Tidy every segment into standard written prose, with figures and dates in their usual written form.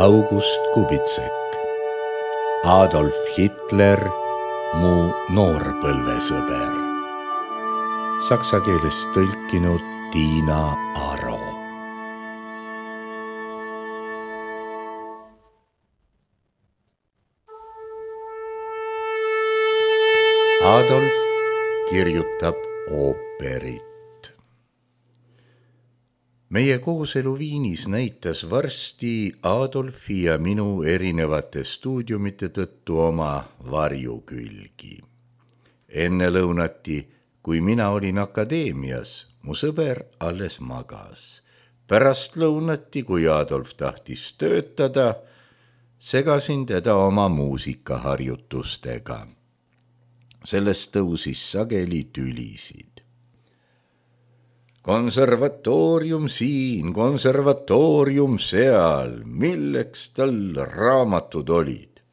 August Kubitsek, Adolf Hitler, mu noorpõlvesõber. Saksa keelest tõlkinud Tiina Aro. Adolf kirjutab ooperit. Meie kooselu Viinis näitas varsti Adolfi ja minu erinevate stuudiumite tõttu oma varjukülgi. Enne lõunati, kui mina olin akadeemias, mu sõber alles magas. Pärast lõunati, kui Adolf tahtis töötada, segasin teda oma muusikaharjutustega. Sellest tõusis sageli tülisid. Konservatoorium siin, konservatoorium seal, milleks tal raamatud olid.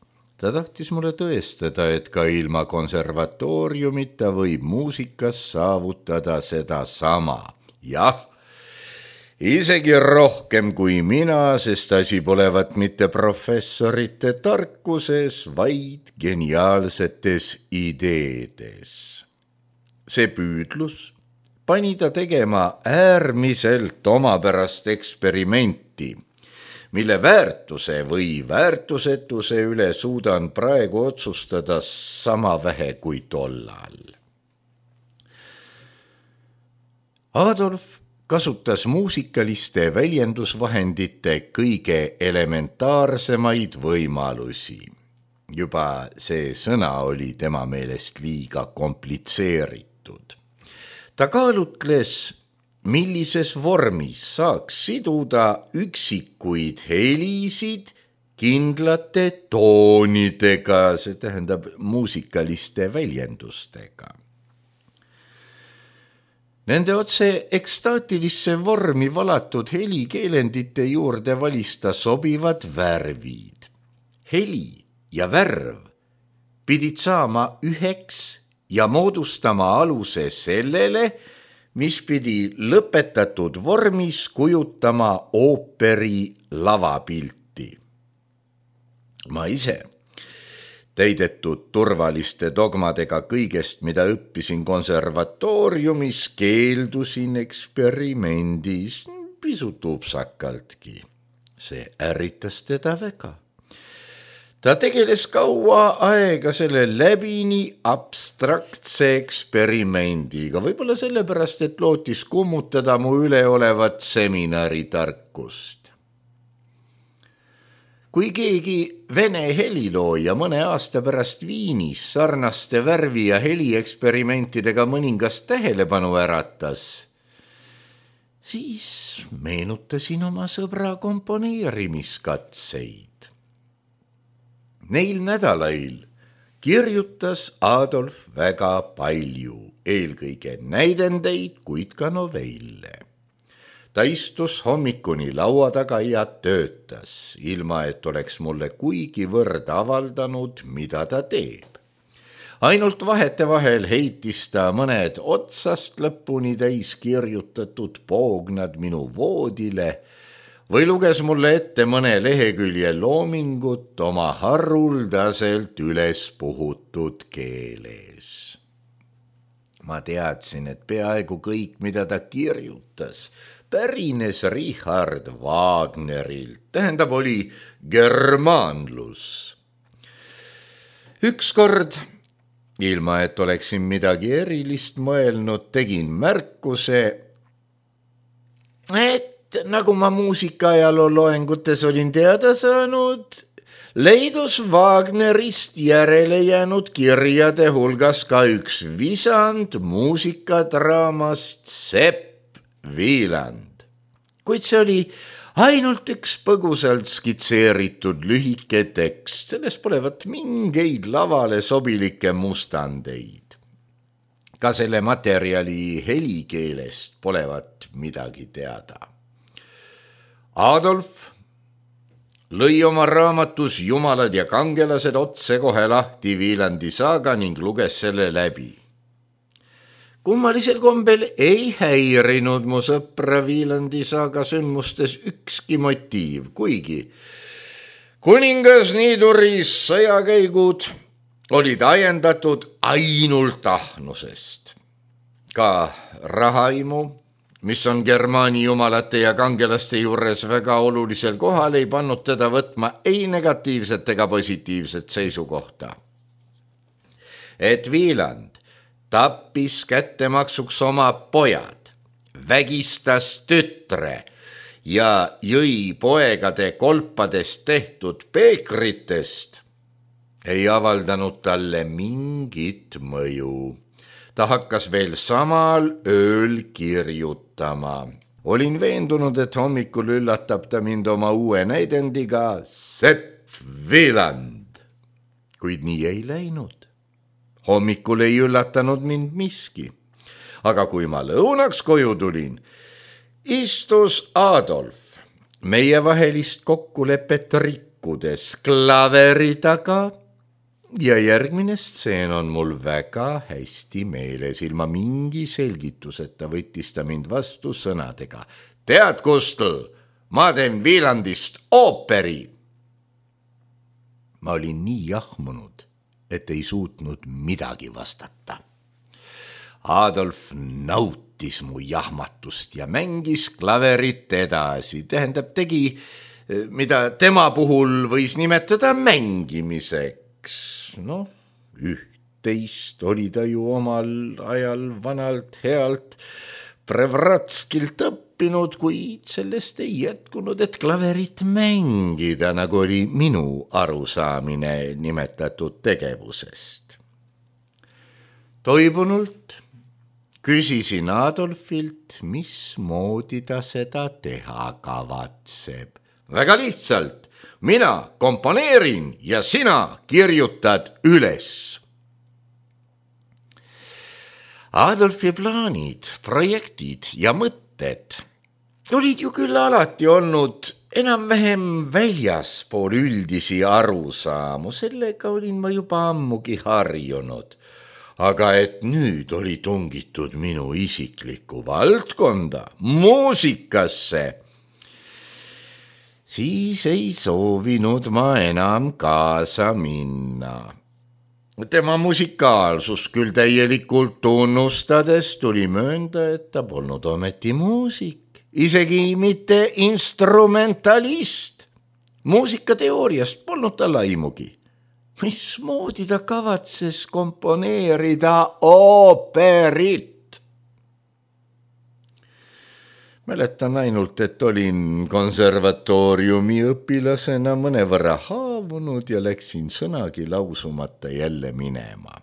Ta tahtis mulle tõestada, et ka ilma konservatooriumita võib muusikas saavutada seda sama. Jah, isegi rohkem kui mina, sest asi polevat mitte professorite tarkuses, vaid geniaalsetes ideedes. See püüdlus pani ta tegema äärmiselt omapärast eksperimenti, mille väärtuse või väärtusetuse üle suudan praegu otsustada sama vähe kui tollal. Adolf kasutas muusikaliste väljendusvahendite kõige elementaarsemaid võimalusi. Juba see sõna oli tema meelest liiga komplitseeritud. Ta kaalutles, millises vormis saaks siduda üksikuid helisid kindlate toonidega, see tähendab muusikaliste väljendustega. Nende otse ekstaatilisse vormi valatud helikeelendite juurde valista sobivad värvid. Heli ja värv pidid saama üheks ja moodustama aluse sellele, mis pidi lõpetatud vormis kujutama ooperi lavapilti. Ma ise, täidetud turvaliste dogmadega kõigest, mida õppisin konservatooriumis, keeldusin eksperimendis pisut upsakaltki. See ärritas teda väga. Ta tegeles kaua aega selle läbini abstraktse eksperimendiga, võib-olla sellepärast, et lootis kummutada mu üleolevat seminaritarkust. Kui keegi vene helilooja mõne aasta pärast Viinis sarnaste värvi- ja helieksperimentidega mõningast tähelepanu äratas, siis meenutasin oma sõbra komponeerimiskatseid. Neil nädalail kirjutas Adolf väga palju, eelkõige näidendeid, kuid ka novelle. Ta istus hommikuni laua taga ja töötas, ilma et oleks mulle kuigivõrd avaldanud, mida ta teeb. Ainult vahetevahel heitis ta mõned otsast lõpuni täis kirjutatud poognad minu voodile või luges mulle ette mõne lehekülje loomingut oma haruldaselt üles puhutud keeles. Ma teadsin, et peaaegu kõik, mida ta kirjutas, pärines Richard Wagnerilt, tähendab oli germaanlus. Ükskord, ilma et oleksin midagi erilist mõelnud, tegin märkuse, et nagu ma muusikaajaloo loengutes olin teada saanud, leidus Wagnerist järele jäänud kirjade hulgas ka üks visand muusikadraamast Sepp Wieland. Kuid see oli ainult üks põgusalt skitseeritud lühike tekst, sellest polevat mingeid lavale sobilikke mustandeid. Ka selle materjali helikeelest polevat midagi teada. Adolf lõi oma raamatus Jumalad ja kangelased otsekohe lahti Wielandi saaga ning luges selle läbi. Kummalisel kombel ei häirinud mu sõpra Wielandi saaga sündmustes ükski motiiv, kuigi kuningas Niiduris sõjakäigud olid ajendatud ainult ahnusest. Ka rahaimu, mis on Germaani jumalate ja kangelaste juures väga olulisel kohal, ei pannud teda võtma ei negatiivset ega positiivset seisukohta. Et Wieland tappis kättemaksuks oma pojad, vägistas tütre ja jõi poegade kolpadest tehtud peekritest, ei avaldanud talle mingit mõju. Ta hakkas veel samal ööl kirjutama. Olin veendunud, et hommikul üllatab ta mind oma uue näidendiga Sepp Wieland. Kuid nii ei läinud. Hommikul ei üllatanud mind miski. Aga kui ma lõunaks koju tulin, istus Adolf meievahelist kokkulepet rikkudes klaveri taga ja järgmine stseen on mul väga hästi meeles. Ilma mingi selgituseta võttis ta mind vastu sõnadega. Tead, Kustel, ma teen Wielandist ooperi. Ma olin nii jahmunud, et ei suutnud midagi vastata. Adolf nautis mu jahmatust ja mängis klaverit edasi. Tähendab, tegi, mida tema puhul võis nimetada mängimiseks. Noh, üht-teist oli ta ju omal ajal vanalt healt Prevratskilt õppinud, kuid sellest ei jätkunud, et klaverit mängida, nagu oli minu arusaamine nimetatud tegevusest. Toibunult küsisin Adolfilt, mismoodi ta seda teha kavatseb. Väga lihtsalt, mina komponeerin ja sina kirjutad üles. Adolfi plaanid, projektid ja mõtted olid ju küll alati olnud enam-vähem väljaspool üldisi arusaamu, sellega olin ma juba ammugi harjunud. Aga et nüüd oli tungitud minu isiklikku valdkonda, muusikasse, siis ei soovinud ma enam kaasa minna. Tema musikaalsus küll täielikult tunnustades tuli möönda, et ta polnud ometi muusik, isegi mitte instrumentalist. Muusikateooriast polnud tal aimugi. Mismoodi ta kavatses komponeerida ooperit? Mäletan ainult, et olin konservatooriumi õpilasena mõnevõrra haavunud ja läksin sõnagi lausumata jälle minema.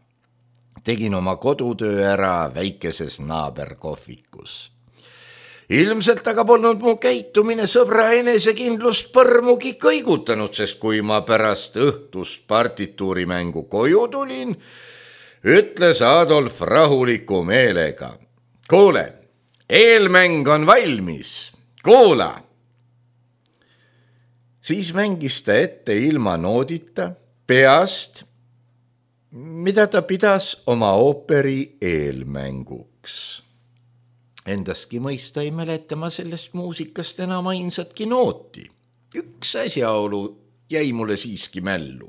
Tegin oma kodutöö ära väikeses naaberkohvikus. Ilmselt aga polnud mu käitumine sõbra enesekindlust põrmugi kõigutanud, sest kui ma pärast õhtust partituurimängu koju tulin, ütles Adolf rahuliku meelega. Kuule, eelmäng on valmis, kuula. Siis mängis ta ette ilma noodita, peast, mida ta pidas oma ooperi eelmänguks. Endaski mõista ei mäleta ma sellest muusikast enam ainsatki nooti. Üks asjaolu jäi mulle siiski mällu.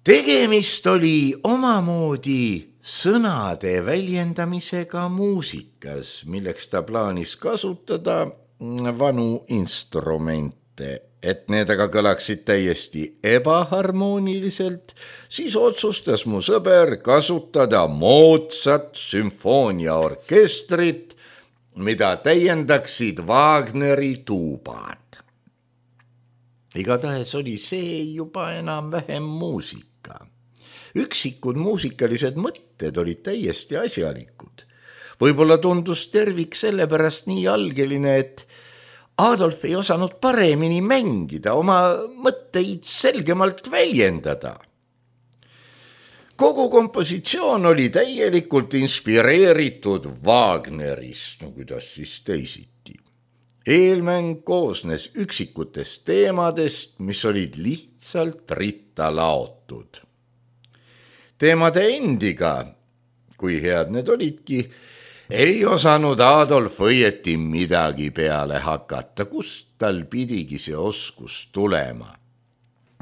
Tegemist oli omamoodi sõnade väljendamisega muusikas, milleks ta plaanis kasutada vanu instrumente. Et need aga kõlaksid täiesti ebaharmooniliselt, siis otsustas mu sõber kasutada moodsat sümfooniaorkestrit, mida täiendaksid Wagneri tuubad. Igatahes oli see juba enam-vähem muusika. Üksikud muusikalised mõtted olid täiesti asjalikud. Võib-olla tundus tervik sellepärast nii algeline, et Adolf ei osanud paremini mängida, oma mõtteid selgemalt väljendada. Kogu kompositsioon oli täielikult inspireeritud Wagnerist, no kuidas siis teisiti. Eelmäng koosnes üksikutest teemadest, mis olid lihtsalt ritta laotud. Teemade endiga, kui head need olidki, ei osanud Adolf õieti midagi peale hakata, kust tal pidigi see oskus tulema.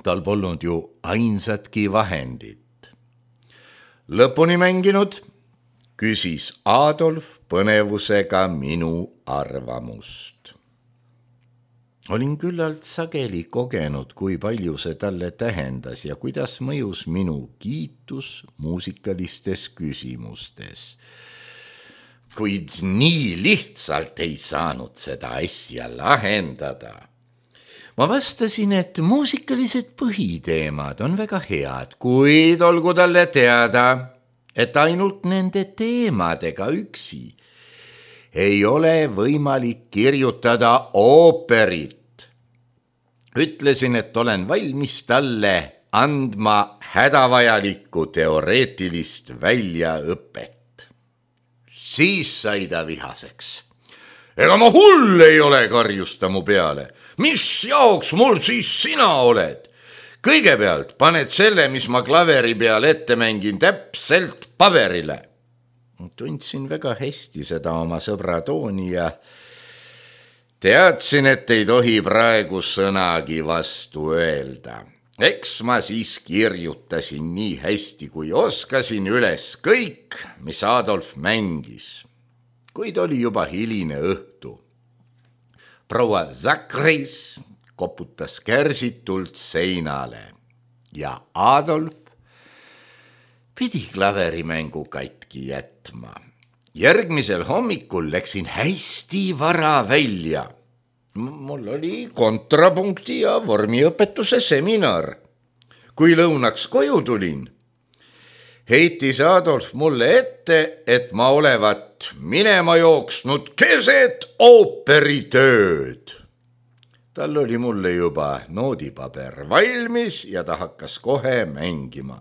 tal polnud ju ainsatki vahendit. Lõpuni mänginud, küsis Adolf põnevusega minu arvamust. Olin küllalt sageli kogenud, kui palju see talle tähendas ja kuidas mõjus minu kiitus muusikalistes küsimustes. Kuid nii lihtsalt ei saanud seda asja lahendada. Ma vastasin, et muusikalised põhiteemad on väga head, kuid olgu talle teada, et ainult nende teemadega üksi ei ole võimalik kirjutada ooperit. Ütlesin, et olen valmis talle andma hädavajalikku teoreetilist väljaõpet. Siis sai ta vihaseks. Ega ma hull ei ole, karjus ta mu peale. Mis jaoks mul siis sina oled? Kõigepealt paned selle, mis ma klaveri peal ette mängin, täpselt paberile. Tundsin väga hästi seda oma sõbra tooni ja teadsin, et ei tohi praegu sõnagi vastu öelda. Eks ma siis kirjutasin nii hästi, kui oskasin üles kõik, mis Adolf mängis. Kuid oli juba hiline õhtu. Proua Zachreis koputas kärsitult seinale ja Adolf pidi klaverimängu katki jätma. Järgmisel hommikul läksin hästi vara välja. Mul oli kontrapunkti ja vormiõpetuse seminar. Kui lõunaks koju tulin, heitis Adolf mulle ette, et ma olevat minema jooksnud keset ooperitööd. Tal oli mulle juba noodipaber valmis ja ta hakkas kohe mängima.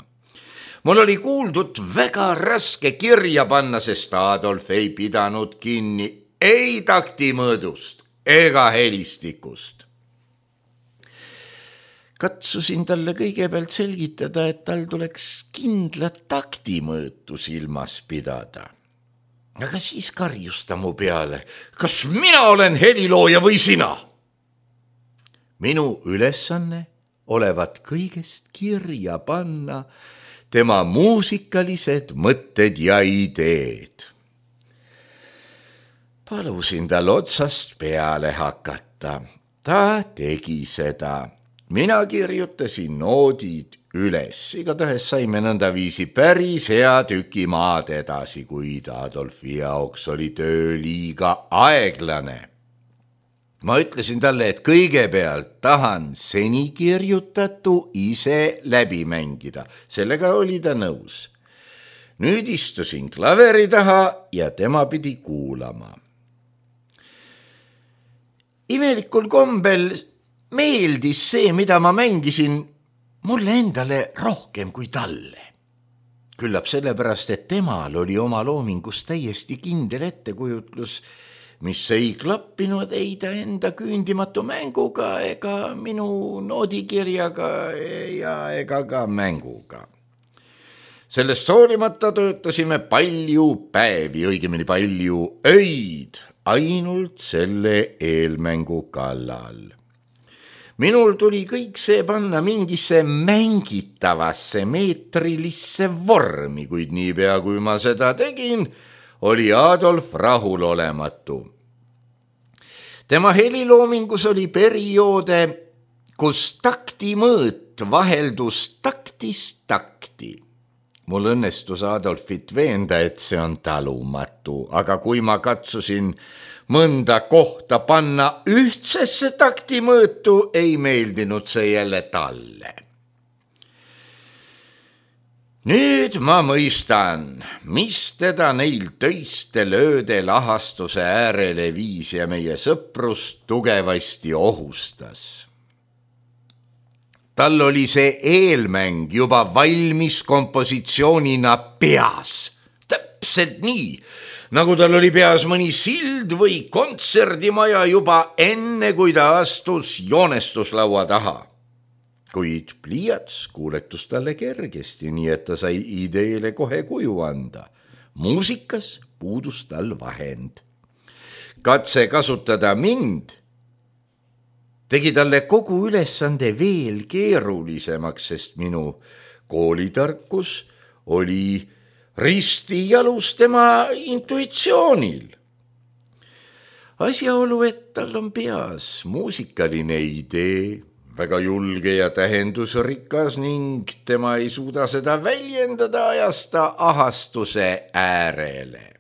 Mul oli kuuldud väga raske kirja panna, sest Adolf ei pidanud kinni ei taktimõõdust ega helistikust. Katsusin talle kõigepealt selgitada, et tal tuleks kindlat taktimõõtu silmas pidada. Aga siis karjus ta mu peale, kas mina olen helilooja või sina? Minu ülesanne olevat kõigest kirja panna tema muusikalised mõtted ja ideed. Palusin tal otsast peale hakata. Ta tegi seda. Mina kirjutasin noodid üles. Igatahes saime nõndaviisi päris hea tüki maad edasi, kuid Adolfi jaoks oli töö liiga aeglane. Ma ütlesin talle, et kõigepealt tahan seni kirjutatu ise läbi mängida. Sellega oli ta nõus. Nüüd istusin klaveri taha ja tema pidi kuulama. Imelikul kombel meeldis see, mida ma mängisin, mulle endale rohkem kui talle. Küllap sellepärast, et temal oli oma loomingus täiesti kindel ettekujutlus, mis ei klappinud ei ta enda küündimatu mänguga ega minu noodikirjaga ja ega ka mänguga. Sellest hoolimata töötasime palju päevi, õigemini palju öid, ainult selle eelmängu kallal. Minul tuli kõik see panna mingisse mängitavasse meetrilisse vormi, kuid niipea kui ma seda tegin, oli Adolf rahulolematu. Tema heliloomingus oli perioode, kus taktimõõt vaheldus taktist takti. Mul õnnestus Adolfit veenda, et see on talumatu, aga kui ma katsusin mõnda kohta panna ühtsesse taktimõõtu, ei meeldinud see jälle talle. Nüüd ma mõistan, mis teda neil töiste lööde lahastuse äärele viis ja meie sõprust tugevasti ohustas. Tal oli see eelmäng juba valmis kompositsioonina peas. Täpselt nii, nagu tal oli peas mõni sild või kontserdimaja juba enne, kui ta astus joonestuslaua taha. Kuid pliiats kuuletus talle kergesti, nii et ta sai ideele kohe kuju anda. Muusikas puudus tal vahend. Katse kasutada mind tegi talle kogu ülesande veel keerulisemaks, sest minu koolitarkus oli risti jalus tema intuitsioonil. Asjaolu, et tal on peas muusikaline idee, väga julge ja tähendusrikas ning tema ei suuda seda väljendada, ajas ta ahastuse äärele.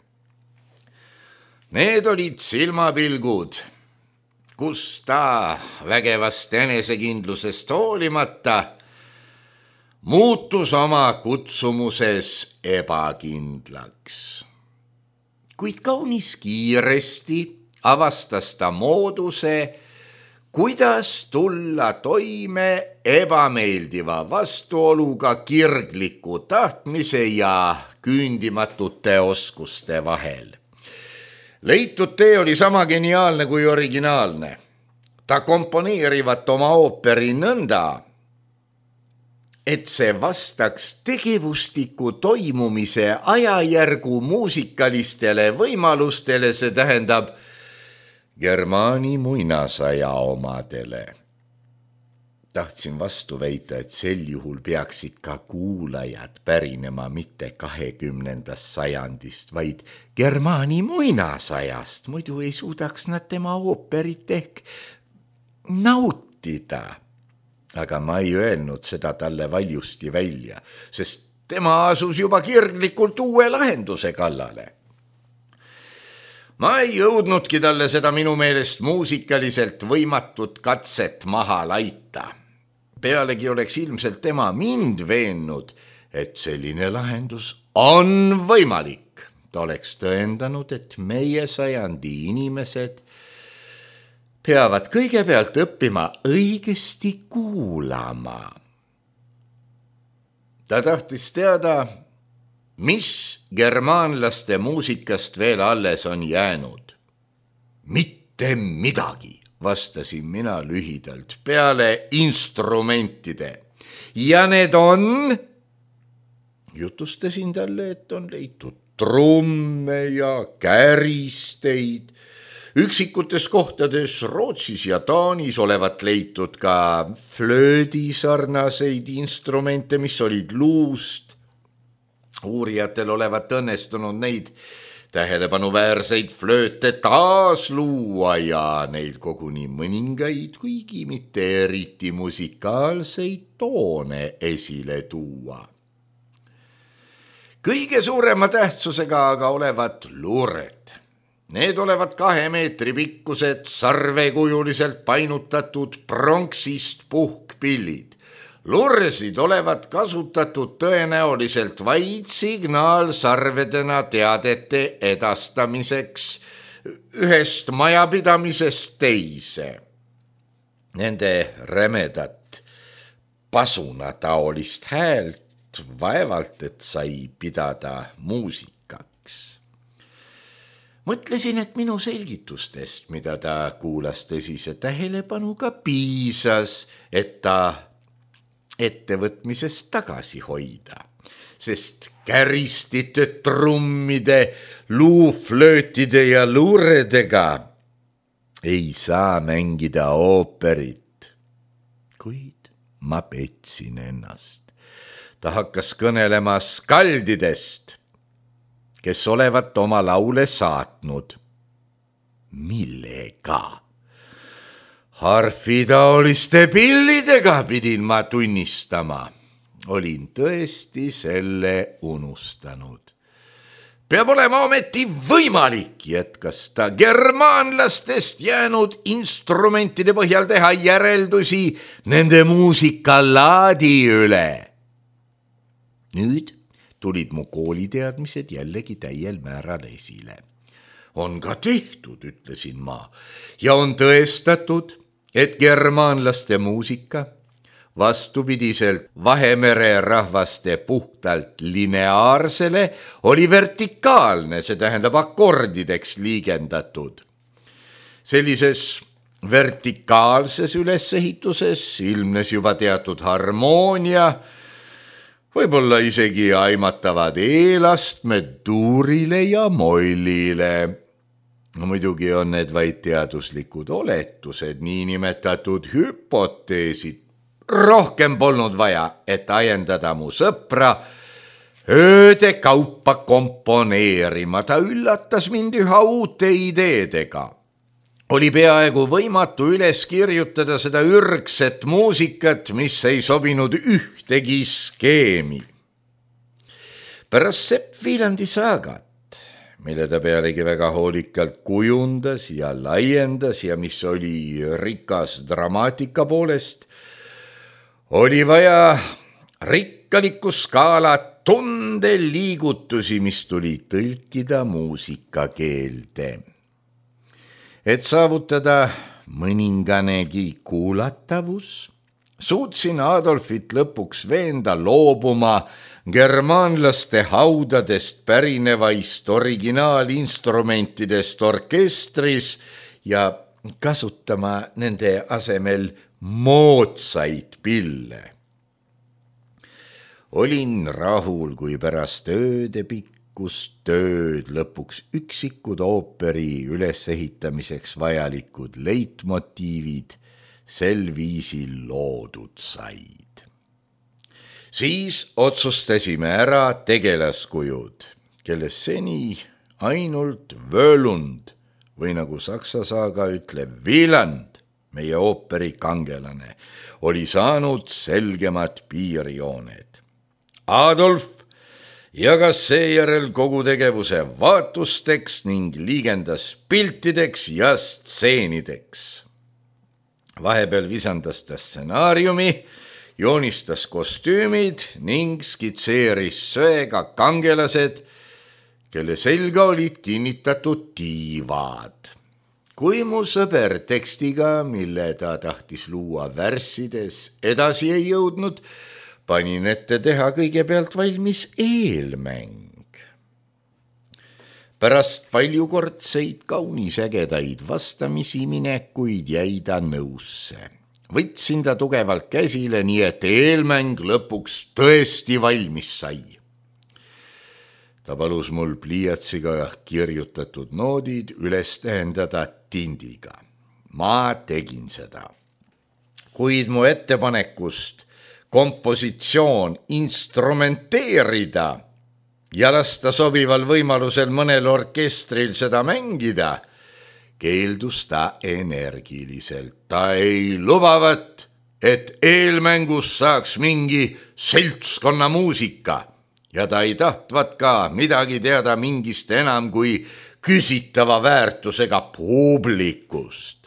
Need olid silmapilgud, kus ta vägevast enesekindlusest hoolimata muutus oma kutsumuses ebakindlaks. Kuid kaunis kiiresti avastas ta mooduse, kuidas tulla toime ebameeldiva vastuoluga kirgliku tahtmise ja küündimatute oskuste vahel. Leitud tee oli sama geniaalne kui originaalne. Ta komponeerivat oma ooperi nõnda, et see vastaks tegevustiku toimumise ajajärgu muusikalistele võimalustele, see tähendab Germaani muinasaja omadele. Tahtsin vastu väita, et sel juhul peaksid ka kuulajad pärinema mitte 20. sajandist, vaid Germaani muinasajast, muidu ei suudaks nad tema ooperit ehk nautida. Aga ma ei öelnud seda talle valjusti välja, sest tema asus juba kirglikult uue lahenduse kallale. Ma ei jõudnudki talle seda minu meelest muusikaliselt võimatut katset maha laita. Pealegi oleks ilmselt tema mind veennud, et selline lahendus on võimalik. Ta oleks tõendanud, et meie sajandi inimesed peavad kõigepealt õppima õigesti kuulama. Ta tahtis teada, mis germaanlaste muusikast veel alles on jäänud. Mitte midagi, vastasin mina lühidalt, peale instrumentide. Ja need on, jutustasin talle, et on leitud trumme ja käristeid. Üksikutes kohtades Rootsis ja Taanis olevat leitud ka flöödi sarnaseid instrumente, mis olid luust. Uurijatel olevat õnnestunud neid tähelepanuväärseid flööte taas luua ja neil koguni mõningaid, kuigi mitte eriti musikaalseid toone esile tuua. Kõige suurema tähtsusega aga olevat luured. Need olevat 2 meetri pikkused, sarvekujuliselt painutatud pronksist puhkpillid. Lurresid olevat kasutatud tõenäoliselt vaid signaalsarvedena teadete edastamiseks ühest majapidamisest teise. Nende rämedat pasunataolist häält vaevalt, et sai pidada muusikaks. Mõtlesin, et minu selgitustest, mida ta kuulas tõsise tähelepanuga, piisas, et ta ettevõtmisest tagasi hoida, sest käristite, trummide, luuflöötide ja luuredega ei saa mängida ooperit. Kuid ma petsin ennast. Ta hakkas kõnelema skaldidest, kes olevat oma laule saatnud. Millega? Harfitaoliste pillidega pidin ma tunnistama. Olin tõesti selle unustanud. Peab olema ometi võimalik, jätkas ta, germaanlastest jäänud instrumentide põhjal teha järeldusi nende muusikalaadi üle. Nüüd tulid mu kooliteadmised jällegi täiel määral esile. On ka tehtud, ütlesin ma, ja on tõestatud, et germaanlaste muusika, vastupidiselt Vahemere rahvaste puhtalt lineaarsele, oli vertikaalne, see tähendab akordideks liigendatud. Sellises vertikaalses ülesehituses ilmnes juba teatud harmoonia, võib-olla isegi aimatavad eelastmed duurile ja mollile. No muidugi on need vaid teaduslikud oletused, niinimetatud hüpoteesid. Rohkem polnud vaja, et ajendada mu sõpra ööde kaupa komponeerima. Ta üllatas mind üha uute ideedega. Oli peaaegu võimatu üles kirjutada seda ürgset muusikat, mis ei sobinud ühtegi skeemi. Pärast Sepp Viilandi saagat, mille ta pealegi väga hoolikalt kujundas ja laiendas ja mis oli rikas dramaatika poolest, oli vaja rikkalikku skaalat tundeliigutusi, mis tuli tõlkida muusikakeelde. Et saavutada mõninganegi kuulatavus, suutsin Adolfit lõpuks veenda loobuma germaanlaste haudadest pärinevaist originaalinstrumentidest orkestris ja kasutama nende asemel moodsaid pille. Olin rahul, kui pärast öödepikkust tööd lõpuks üksikud ooperi ülesehitamiseks vajalikud leitmotiivid sel viisil loodud said. Siis otsustasime ära tegelaskujud, kelles seni ainult Völund või nagu saksa saaga ütleb Wieland, meie ooperi kangelane, oli saanud selgemad piirjooned. Adolf jagas seejärel kogu tegevuse vaatusteks ning liigendas piltideks ja stseenideks. Vahepeal visandas ta stsenaariumi, joonistas kostüümid ning skitseeris söega kangelased, kelle selga olid kinnitatud tiivad. Kui mu sõber tekstiga, mille ta tahtis luua värssides, edasi ei jõudnud, panin ette teha kõigepealt valmis eelmäng. Pärast paljukordseid kaunisägedaid vastamisi minekuid jäi ta nõusse. Võtsin ta tugevalt käsile, nii et eelmäng lõpuks tõesti valmis sai. Ta palus mul pliiatsiga kirjutatud noodid üles tähendada tindiga. Ma tegin seda. Kuid mu ettepanekust kompositsioon instrumenteerida ja lasta sobival võimalusel mõnel orkestril seda mängida, keeldus ta energiliselt. Ta ei lubavat, et eelmängus saaks mingi seltskonna muusika ja ta ei tahtvat ka midagi teada mingist enam kui küsitava väärtusega publikust.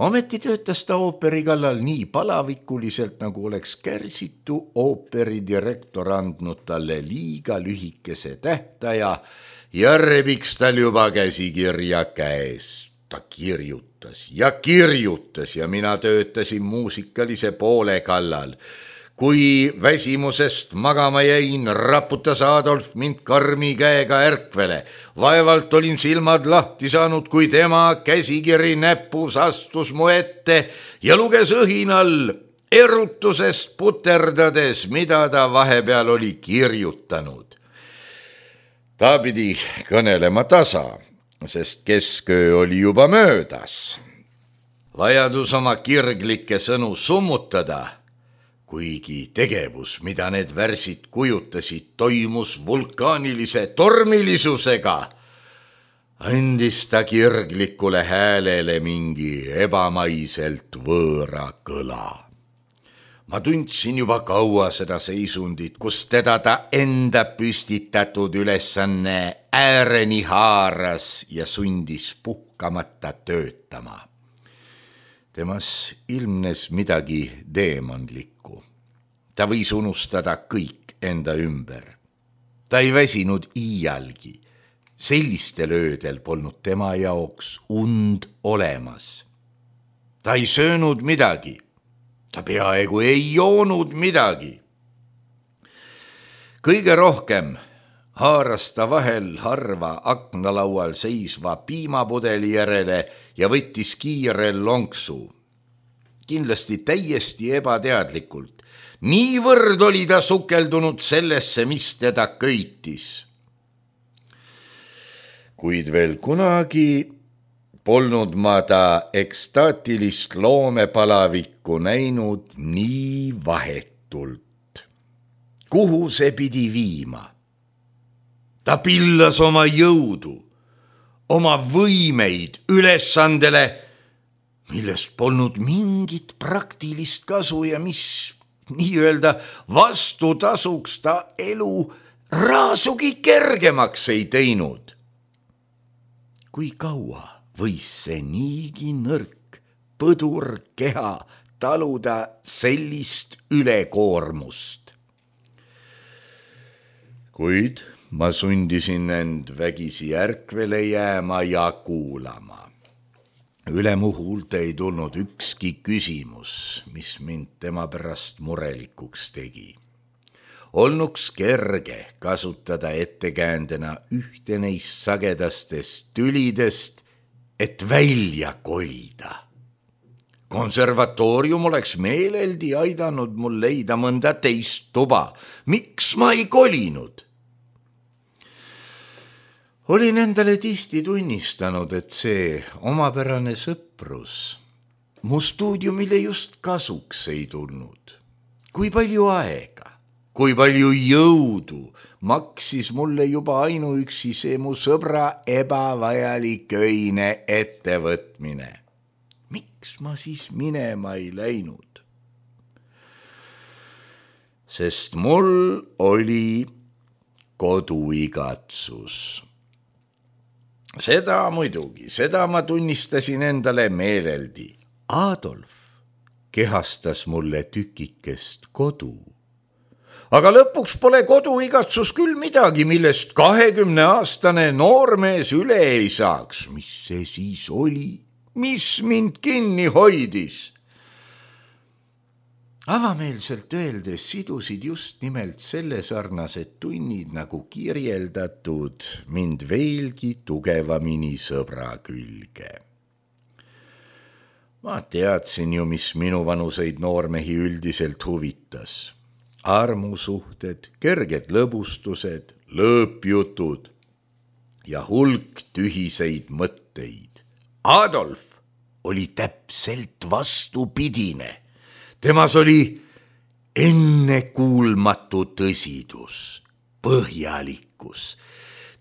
Ometi töötas ta ooperi kallal nii palavikuliselt, nagu oleks Kärsitu ooperidirektor andnud talle liiga lühikese tähtaja ja rebiks tal juba käsikirja käes. Ta kirjutas ja mina töötasin muusikalise poole kallal. Kui väsimusest magama jäin, raputas Adolf mind karmi käega ärkvele. Vaevalt olin silmad lahti saanud, kui tema käsikiri näpus astus mu ette ja luges õhinal erutusest puterdades, mida ta vahepeal oli kirjutanud. Ta pidi kõnelema tasa, sest kesköö oli juba möödas. Vajadus oma kirglikke sõnu summutada, kuigi tegevus, mida need värsid kujutasid, toimus vulkaanilise tormilisusega, andis ta kirglikule häälele mingi ebamaiselt võõra kõla. Ma tundsin juba kaua seda seisundit, kus teda ta enda püstitatud ülesanne ääreni haaras ja sundis puhkamata töötama. Temas ilmnes midagi deemonlikku. Ta võis unustada kõik enda ümber. Ta ei väsinud iialgi. Sellistel öödel polnud tema jaoks und olemas. Ta ei söönud midagi. Ta peaaegu ei joonud midagi. Kõige rohkem haaras ta vahel harva aknalaual seisva piimapudeli järele ja võttis kiire lonksu. Kindlasti täiesti ebateadlikult. Niivõrd oli ta sukeldunud sellesse, mis teda köitis. kuid veel kunagi polnud ma ta ekstaatilist loomepalavikku näinud nii vahetult. Kuhu see pidi viima? Ta pillas oma jõudu, oma võimeid ülesandele, millest polnud mingit praktilist kasu ja mis nii-öelda vastutasuks ta elu raasugi kergemaks ei teinud. Kui kaua võis see niigi nõrk põdur keha taluda sellist ülekoormust? Kuid ma sundisin end vägisi ärkvele jääma ja kuulama. Üle mu huulte ei tulnud ükski küsimus, mis mind tema pärast murelikuks tegi. Olnuks kerge kasutada ettekäändena ühte neist sagedastest tülidest, et välja kolida. Konservatoorium oleks meeleldi aidanud mul leida mõnda teist tuba. Miks ma ei kolinud? Olin endale tihti tunnistanud, et see omapärane sõprus mu stuudiumile just kasuks ei tulnud. Kui palju aega, kui palju jõudu maksis mulle juba ainuüksi see mu sõbra ebavajalik öine ettevõtmine. Miks ma siis minema ei läinud? Sest mul oli koduigatsus. Seda muidugi, seda ma tunnistasin endale meeleldi. Adolf kehastas mulle tükikest kodu. Aga lõpuks pole koduigatsus küll midagi, millest 20-aastane noormees üle ei saaks. Mis see siis oli? Mis mind kinni hoidis? Avameelselt öeldes sidusid just nimelt selle sarnased tunnid nagu kirjeldatud mind veelgi tugevamini sõbra külge. Ma teadsin ju, mis minuvanuseid noormehi üldiselt huvitas. Armusuhted, kerged lõbustused, lõõpjutud ja hulk tühiseid mõtteid. Adolf oli täpselt vastupidine. Temas oli ennekuulmatu tõsidus, põhjalikkus,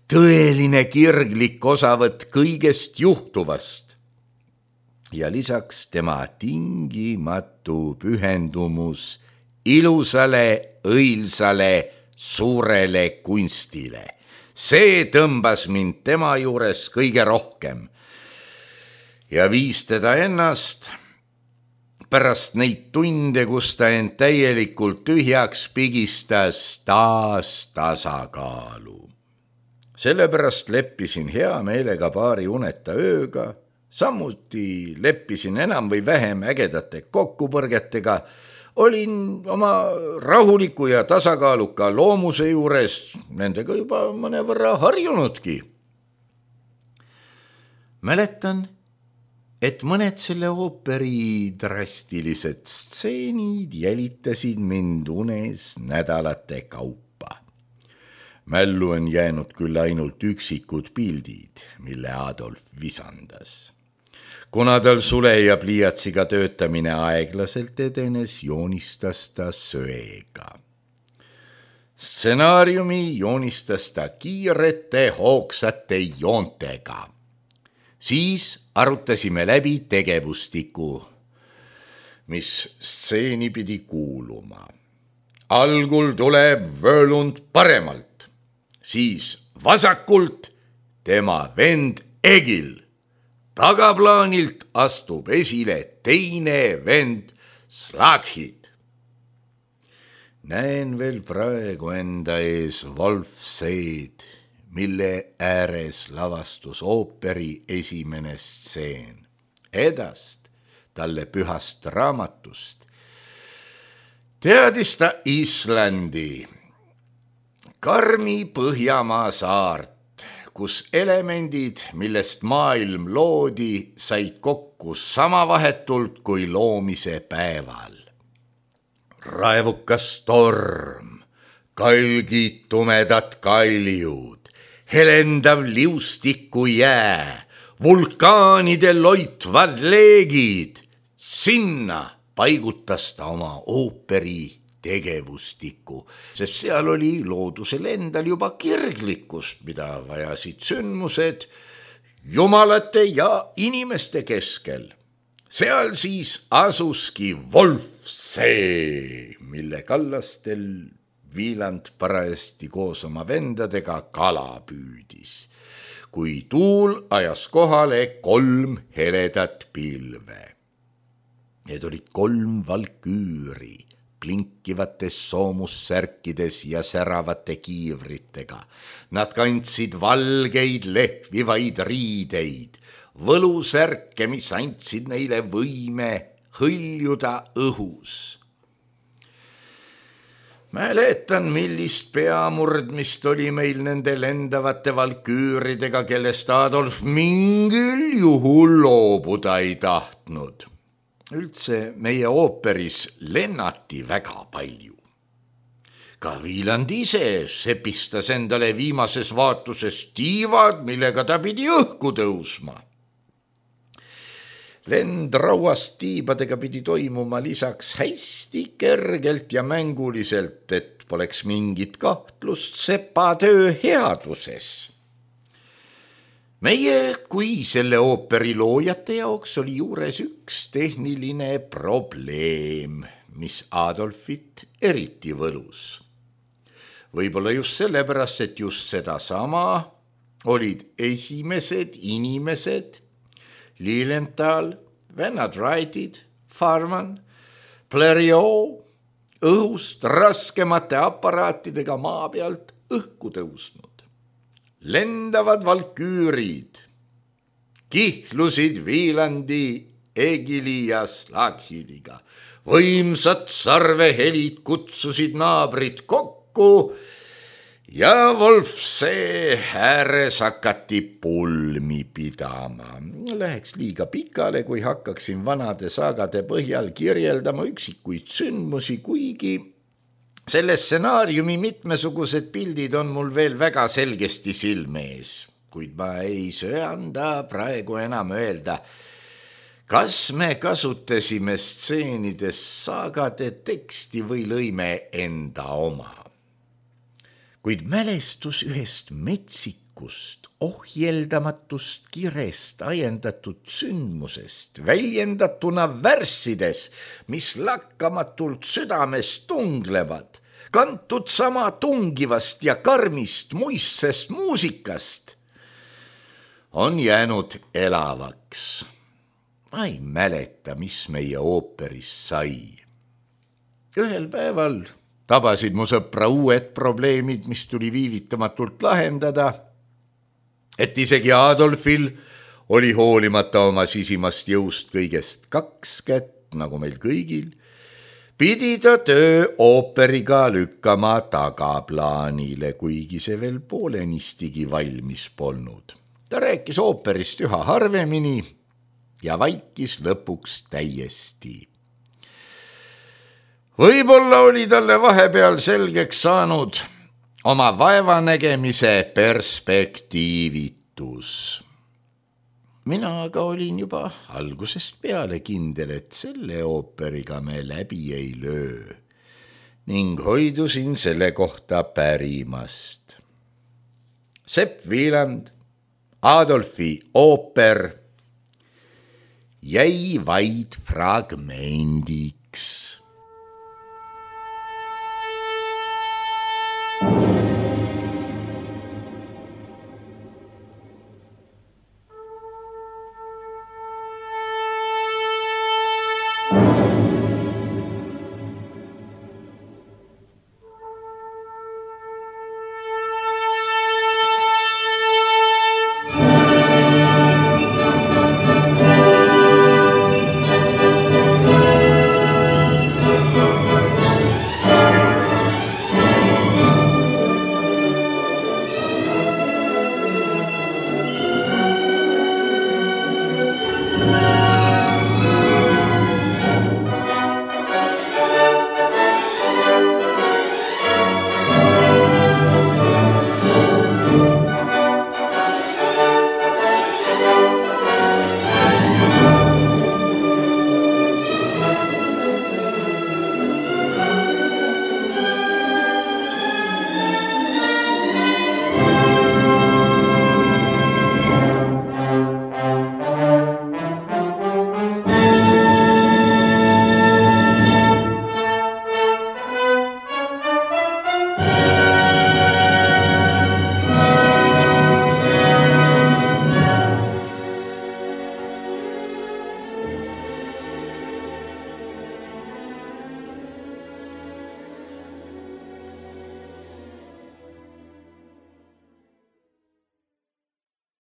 tõeline kirglik osavõtt kõigest juhtuvast ja lisaks tema tingimatu pühendumus ilusale, õilsale, suurele kunstile. See tõmbas mind tema juures kõige rohkem ja viis teda ennast pärast neid tunde, kus ta end täielikult tühjaks pigistas, taas tasakaalu. Sellepärast leppisin hea meelega paari uneta ööga, samuti leppisin enam või vähem ägedate kokkupõrgetega, olin oma rahuliku ja tasakaaluka loomuse juures nendega juba mõnevõrra harjunudki. Mäletan, et mõned selle ooperi drastilised stseenid jälitasid mind unes nädalate kaupa. Mällu on jäänud küll ainult üksikud pildid, mille Adolf visandas. Kuna tal sule ja pliiatsiga töötamine aeglaselt edenes, joonistas ta söega. Stsenaariumi joonistas ta kiirete hoogsate joontega. Siis arutasime läbi tegevustiku, mis stseeni pidi kuuluma. Algul tuleb Völund paremalt, siis vasakult tema vend Egil. Tagaplaanilt astub esile teine vend Slaghid. Näen veel praegu enda ees Wolfseed, mille ääres lavastus ooperi esimene stseen. Edast talle pühast raamatust teadis ta Islandi, karmi Põhjamaa saart, kus elemendid, millest maailm loodi, said kokku sama vahetult kui loomise päeval. Raevukas torm, kalgid tumedad kaljud, helendav liustiku jää, vulkaanide loitvad leegid. Sinna paigutas ta oma ooperi tegevustiku, sest seal oli loodusel endal juba kirglikkust, mida vajasid sündmused jumalate ja inimeste keskel. Seal siis asuski Wolfsee, mille kallastel Wieland parajasti koos oma vendadega kala püüdis, kui tuul ajas kohale 3 heledat pilve. Need olid 3 valküüri, blinkivates soomussärkides ja säravate kiivritega. Nad kandsid valgeid lehvivaid riideid, võlusärke, mis andsid neile võime hõljuda õhus. Mäletan, millist peamurdmist oli meil nende lendavate valküüridega, kellest Adolf mingil juhul loobuda ei tahtnud. Üldse meie ooperis lennati väga palju. Ka Wieland ise sepistas endale viimases vaatuses tiivad, millega ta pidi õhku tõusma. Lend rauast tiibadega pidi toimuma lisaks hästi kergelt ja mänguliselt, et poleks mingit kahtlust sepatöö headuses. Meie kui selle ooperi loojate jaoks oli juures üks tehniline probleem, mis Adolfit eriti võlus. Võib-olla just sellepärast, et just sedasama olid esimesed inimesed Lilienthal, vennad Wrightid, Farman, Blériot õhust raskemate aparaatidega maa pealt õhku tõusnud. Lendavad valküürid kihlusid Wielandi, Egili ja Slaghidiga. Võimsad sarvehelid kutsusid naabrid kokku ja Wolfsee ääres hakati pulmi pidama. Läheks liiga pikale, kui hakkaksin vanade saagade põhjal kirjeldama üksikuid sündmusi, kuigi selle stsenaariumi mitmesugused pildid on mul veel väga selgesti silme ees, kuid ma ei söanda praegu enam öelda, kas me kasutasime stseenidest saagade teksti või lõime enda oma. Kuid mälestus ühest metsikust, ohjeldamatust kirest ajendatud sündmusest, väljendatuna värssides, mis lakkamatult südames tunglevad, kantud sama tungivast ja karmist muistsest muusikast, on jäänud elavaks. Ma ei mäleta, mis meie ooperis sai. Ühel päeval tabasid mu sõpra uued probleemid, mis tuli viivitamatult lahendada, et isegi Adolfil oli hoolimata oma sisimast jõust kõigest 2 kätt, nagu meil kõigil, pidi ta töö ooperiga lükkama tagaplaanile, kuigi see veel poolenistigi valmis polnud. Ta rääkis ooperist üha harvemini ja vaikis lõpuks täiesti. Võib-olla oli talle vahepeal selgeks saanud oma vaevanägemise perspektiivitus. Mina aga olin juba algusest peale kindel, et selle ooperiga me läbi ei löö ning hoidusin selle kohta pärimast. Sepp Wieland, Adolfi ooper jäi vaid fragmendiks.